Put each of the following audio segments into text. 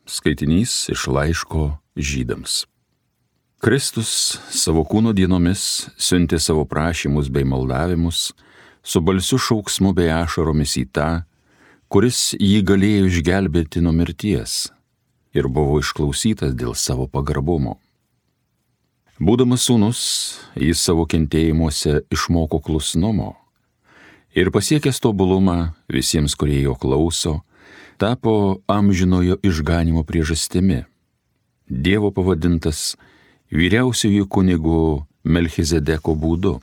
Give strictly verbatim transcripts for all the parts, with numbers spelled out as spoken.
Skaitinys iš laiško Žydams. Kristus savo kūno dienomis siuntė savo prašymus bei maldavimus su balsiu šauksmu bei ašaromis į tą, kuris jį galėjo išgelbėti nuo mirties ir buvo išklausytas dėl savo pagarbumo. Būdamas sūnus, jis savo kentėjimuose išmoko klusnumo ir pasiekęs tobulumą visiems, kurie jo klauso, tapo amžinojo išganimo priežastimi. Dievo pavadintas vyriausiųjų kunigų Melchizedeko būdu.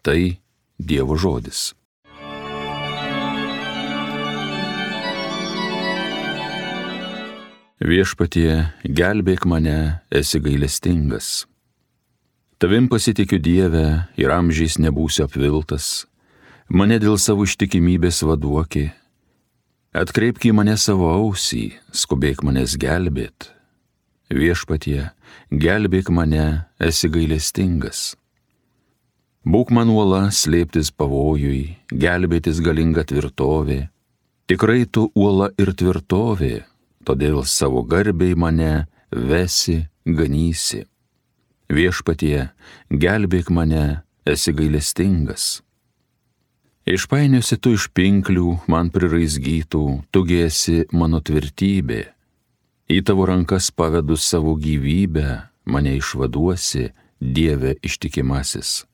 Tai Dievo žodis. Viešpatie, gelbėk mane, esi gailestingas. Tavim pasitikiu Dieve ir amžiais nebūsiu apviltas, mane dėl savo ištikimybės vaduoki. Atkreipk į mane savo ausį, skubėk manęs gelbėt. Viešpatie, gelbėk mane, esi gailestingas. Būk man uola slėptis pavojui, gelbėtis galinga tvirtovė. Tikrai tu uola ir tvirtovė, todėl savo garbei mane vesi, ganysi. Viešpatie, gelbėk mane, esi gailestingas. Išpainiosi tu iš pinklių, man priraizgytų, tugi esi mano tvirtybė. Į tavo rankas pavedu savo gyvybę, mane išvaduosi, Dieve ištikimasis.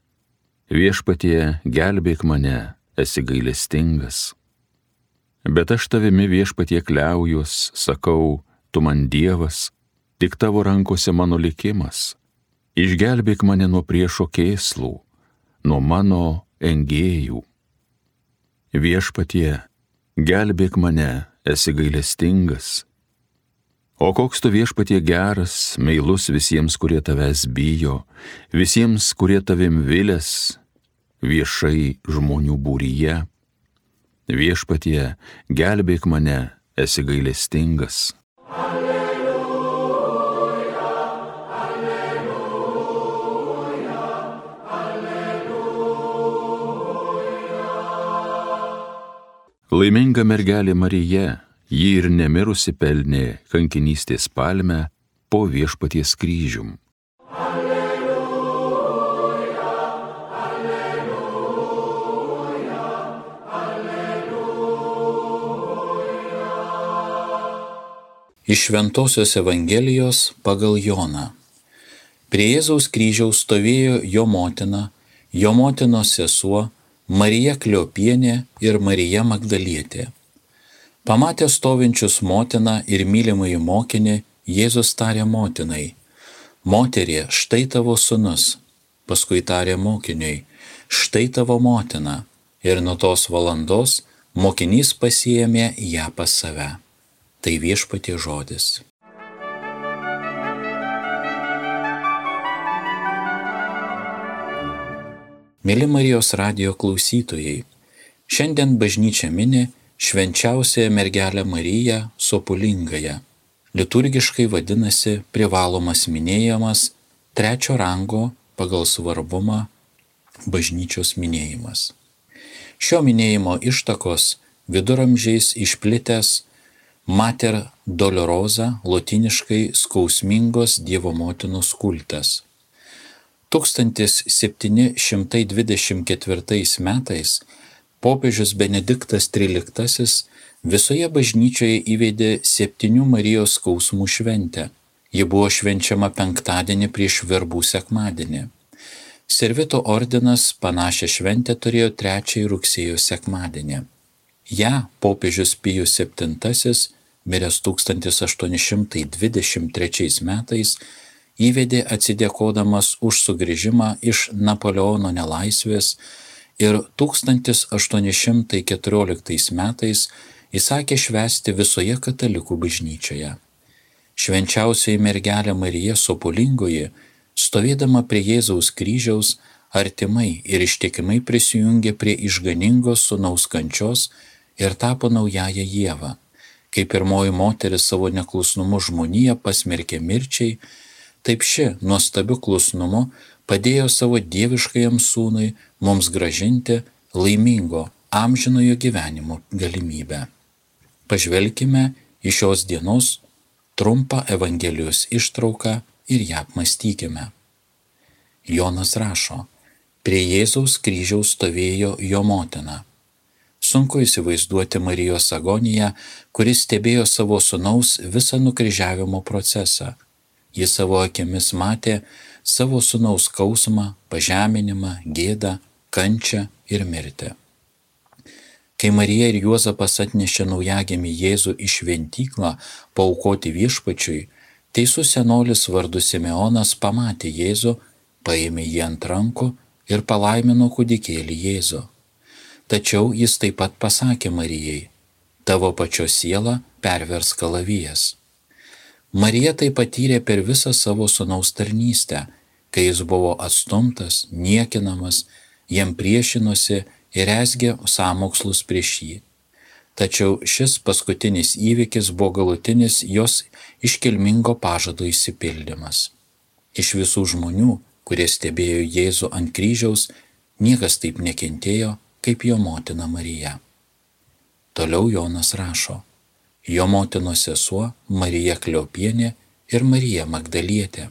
Viešpatie, gelbėk mane, esi gailestingas. Bet aš tavimi, Viešpatie, kliaujuos, sakau, tu man Dievas, tik tavo rankose mano likimas. Išgelbėk mane nuo priešo kėslų, nuo mano engėjų. Viešpatie, gelbėk mane, esi gailestingas. O koks tu, Viešpatie, geras, meilus visiems, kurie tavęs bijo, visiems, kurie tavim vilės, viešai žmonių būryje. Viešpatie, gelbėk mane, esi gailestingas. Laiminga mergelė Marija, ji ir nemirusi pelnė kankinystės palmę po Viešpaties kryžium. Alleluja, alleluja, alleluja. Iš Šventosios Evangelijos pagal Joną. Prie Jėzaus kryžiaus stovėjo jo motina, jo motinos sesuo, Marija Kleopienė ir Marija Magdalietė. Pamatė stovinčius motiną ir mylimąjį mokinį, Jėzus tarė motinai: Moterie, štai tavo sūnus. Paskui tarė mokiniui: Štai tavo motina. Ir nuo tos valandos mokinys pasiėmė ją pas save. Tai Viešpaties žodis. Mėly Marijos radijo klausytojai, šiandien bažnyčia mini švenčiausiąją mergelę Mariją Sopulingąją. Liturgiškai vadinasi privalomas minėjimas, trečio rango pagal svarbumą bažnyčios minėjimas. Šio minėjimo ištakos viduramžiais išplitęs Mater Dolorosa, lotyniškai skausmingos Dievo motinos kultas. tūkstantis septyni šimtai dvidešimt ketvirtais metais popiežius Benediktas tryliktasis visoje bažnyčioje įvedė septynių Marijos skausmų šventę. Ji buvo švenčiama penktadienį prieš verbų sekmadienį. Servito ordinas panašią šventę turėjo trečiąjį rugsėjo sekmadienį. Ja popiežius Pijus septintasis, miręs tūkstantis aštuoni šimtai dvidešimt trečiais metais, įvedė atsidėkodamas už sugrįžimą iš Napoleono nelaisvės ir tūkstantis aštuoni šimtai keturioliktais metais įsakė švęsti visoje katalikų bažnyčioje. Švenčiausioji mergelė Marija Sopulingoji, stovėdama prie Jėzaus kryžiaus, artimai ir ištikimai prisijungė prie išganingos sūnaus kančios ir tapo naująją Ievą. Kaip pirmoji moteris savo neklusnumu žmoniją pasmerkė mirčiai, taip ši nuostabiu klusnumu padėjo savo dieviškajam sūnui mums grąžinti laimingo amžinojo gyvenimo galimybę. Pažvelkime iš šios dienos trumpą Evangelijos ištrauką ir ją apmąstykime. Jonas rašo, prie Jėzaus kryžiaus stovėjo jo motina. Sunku įsivaizduoti Marijos agoniją, kuris stebėjo savo sūnaus visą nukryžiavimo procesą. Jis savo akimis matė savo sūnaus skausmą, pažeminimą, gėdą, kančią ir mirtį. Kai Marija ir Juozapas atnešė naujagimį Jėzų į šventyklą paaukoti viešpačiui, teisus senolis vardu Simeonas pamatė Jėzų, paėmė jį ant rankų ir palaimino kūdikėlį Jėzų. Tačiau jis taip pat pasakė Marijai, tavo pačios sielą pervers kalavijas. Marija tai patyrė per visą savo sūnaus tarnystę, kai jis buvo atstumtas, niekinamas, jam priešinosi ir rezgė sąmokslus prieš jį. Tačiau šis paskutinis įvykis buvo galutinis jos iškilmingo pažado išsipildymas. Iš visų žmonių, kurie stebėjo Jėzų ant kryžiaus, niekas taip nekentėjo, kaip jo motina Marija. Toliau Jonas rašo, jo motinos sesuo Marija Kleopienė ir Marija Magdalietė.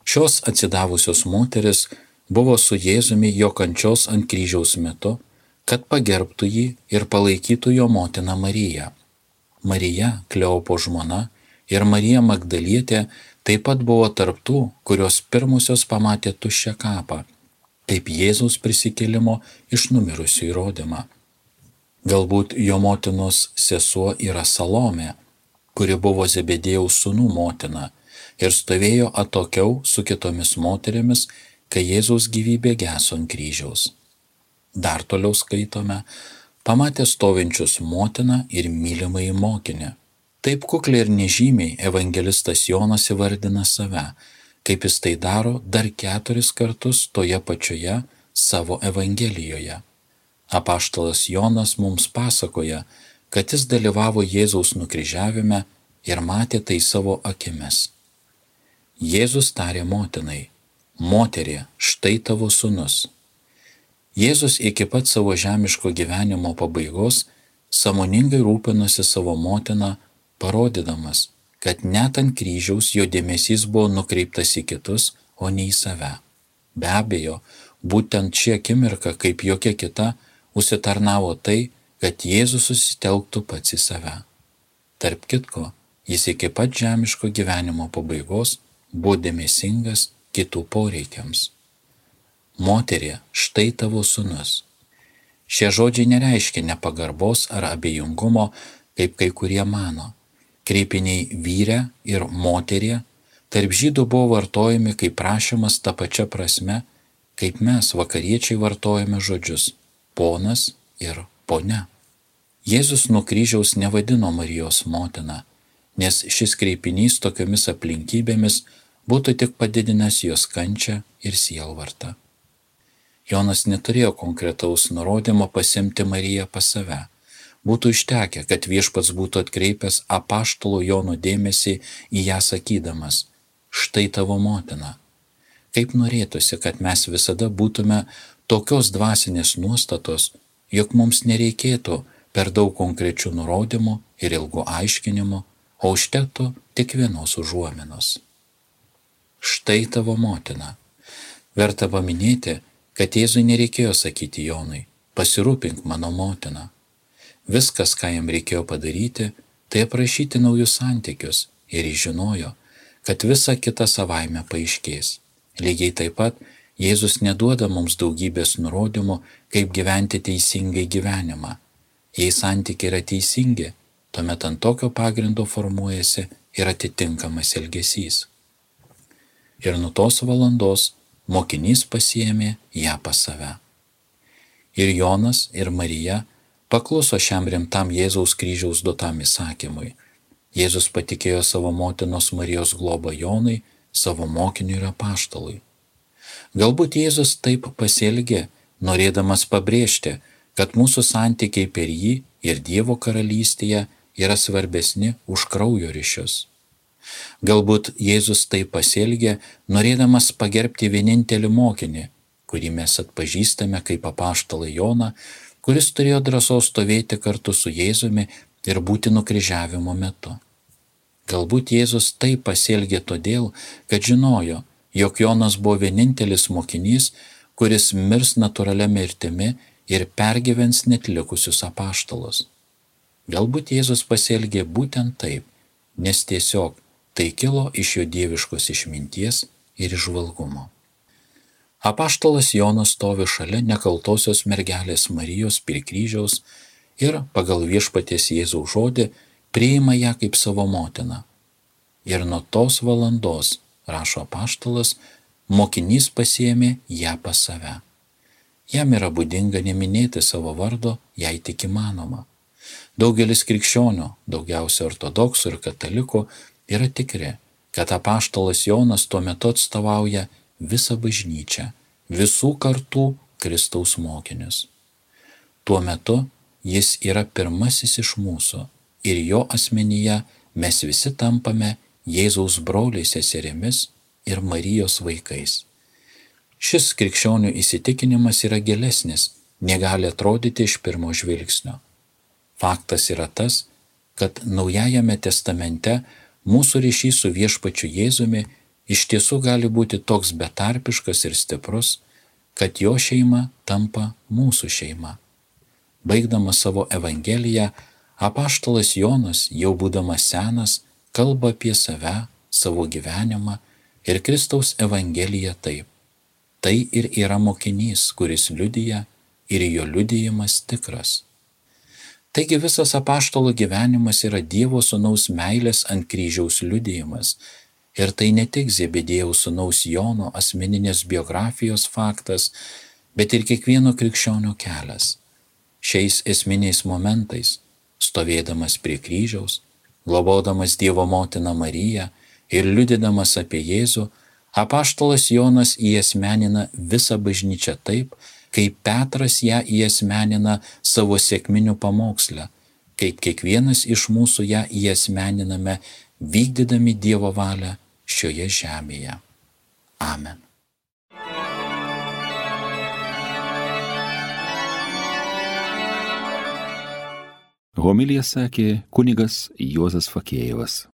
Šios atsidavusios moteris buvo su Jėzumi jo kančios ant kryžiaus metu, kad pagerbtų jį ir palaikytų jo motiną Mariją. Marija, Kleopo žmona, ir Marija Magdalietė taip pat buvo tarptų, kurios pirmosios pamatė tuščią kapą, kaip Jėzaus prisikėlimo iš numirusių įrodymą. Galbūt jo motinos sesuo yra Salomė, kuri buvo Zebedėjaus sūnų motina ir stovėjo atokiau su kitomis moterimis, kai Jėzaus gyvybė geso ant kryžiaus. Dar toliau skaitome, pamatė stovinčius motiną ir mylimąjį mokinį. Taip kukliai ir nežymiai evangelistas Jonas įvardina save, kaip jis tai daro dar keturis kartus toje pačioje savo Evangelijoje. Apaštalas Jonas mums pasakoja, kad jis dalyvavo Jėzaus nukryžiavime ir matė tai savo akimis. Jėzus tarė motinai, moterie, štai tavo sūnus. Jėzus iki pat savo žemiško gyvenimo pabaigos sąmoningai rūpinosi savo motiną, parodydamas, kad net ant kryžiaus jo dėmesys buvo nukreiptas į kitus, o ne į save. Be abejo, būtent ši akimirka, kaip jokia kita, užsitarnavo tai, kad Jėzus susitelktų pats į save. Tarp kitko, jis iki pat žemiško gyvenimo pabaigos buvo dėmesingas kitų poreikiams. Moterie, štai tavo sūnus. Šie žodžiai nereiškia nepagarbos ar abejingumo, kaip kai kurie mano. Kreipiniai vyre ir moterie tarp žydų buvo vartojami kaip prašymas ta pačia prasme, kaip mes vakariečiai vartojame žodžius ponas ir ponia. Jėzus nuo kryžiaus nevadino Marijos motina, nes šis kreipinys tokiomis aplinkybėmis būtų tik padidinęs jos kančią ir sielvartą. Jonas neturėjo konkretaus nurodymo pasimti Mariją pas save. Būtų užtekę, kad viešpats būtų atkreipęs apaštalo Jono dėmesį į ją sakydamas, štai tavo motina. Kaip norėtųsi, kad mes visada būtume tokios dvasinės nuostatos, jog mums nereikėtų per daug konkrečių nurodymų ir ilgų aiškinimų, o užtektų tik vienos užuominos. Štai tavo motina. Verta paminėti, kad Jėzui nereikėjo sakyti Jonui, pasirūpink mano motina. Viskas, ką jam reikėjo padaryti, tai aprašyti naujus santykius ir jis žinojo, kad visa kita savaime paaiškės. Lygiai taip pat Jėzus neduoda mums daugybės nurodymų, kaip gyventi teisingai gyvenimą. Jei santykiai yra teisingi, tuomet ant tokio pagrindo formuojasi ir atitinkamas elgesys. Ir nuo tos valandos mokinys pasiėmė ją pas save. Ir Jonas, ir Marija pakluso šiam rimtam Jėzaus kryžiaus duotam įsakymui. Jėzus patikėjo savo motinos Marijos globą Jonui, savo mokiniui ir apaštalui. Galbūt Jėzus taip pasielgė, norėdamas pabrėžti, kad mūsų santykiai per jį ir Dievo karalystėje yra svarbesni už kraujo ryšius. Galbūt Jėzus taip pasielgė, norėdamas pagerbti vienintelį mokinį, kurį mes atpažįstame kaip apaštalą Joną, kuris turėjo drąsos stovėti kartu su Jėzumi ir būti nukryžiavimo metu. Galbūt Jėzus taip pasielgė todėl, kad žinojo, jog Jonas buvo vienintelis mokinys, kuris mirs natūralia mirtimi ir pergyvens net likusius apaštalus. Galbūt Jėzus pasielgė būtent taip, nes tiesiog tai kilo iš jo dieviškos išminties ir įžvalgumo. Apaštalas Jonas stovi šalia nekaltosios mergelės Marijos prie kryžiaus ir pagal viešpaties Jėzaus žodį priima ją kaip savo motiną. Ir nuo tos valandos, rašo apaštalas, mokinys pasiėmė ją pas save. Jam yra būdinga neminėti savo vardo, jei tik įmanoma. Daugelis krikščionių, daugiausia ortodoksų ir katalikų, yra tikri, kad apaštalas Jonas tuo metu atstovauja visą bažnyčią, visų kartų Kristaus mokinius. Tuo metu jis yra pirmasis iš mūsų ir jo asmenyje mes visi tampame Jėzaus broliais seserimis ir Marijos vaikais. Šis krikščionių įsitikinimas yra gilesnis, negali atrodyti iš pirmo žvilgsnio. Faktas yra tas, kad Naujajame testamente mūsų ryšys su viešpačiu Jėzumi iš tiesų gali būti toks betarpiškas ir stiprus, kad jo šeima tampa mūsų šeima. Baigdamas savo evangeliją, apaštalas Jonas, jau būdamas senas, kalba apie save, savo gyvenimą ir Kristaus evangeliją taip. Tai ir yra mokinys, kuris liudija ir jo liudijimas tikras. Taigi visas apaštalo gyvenimas yra Dievo sūnaus meilės ant kryžiaus liudijimas. Ir tai ne tik Zebediejaus sūnaus Jono asmeninės biografijos faktas, bet ir kiekvieno krikščionio kelias. Šiais esminiais momentais, stovėdamas prie kryžiaus, globodamas Dievo motiną Mariją ir liudydamas apie Jėzų, apaštalas Jonas įasmenina visą bažnyčią taip, kaip Petras ją įasmenina savo sekminių pamoksle, kaip kiekvienas iš mūsų ją įasmeniname, vykdydami Dievo valią šioje žemėje. Amen. Homiliją sakė kunigas Juozas Fakėjevas.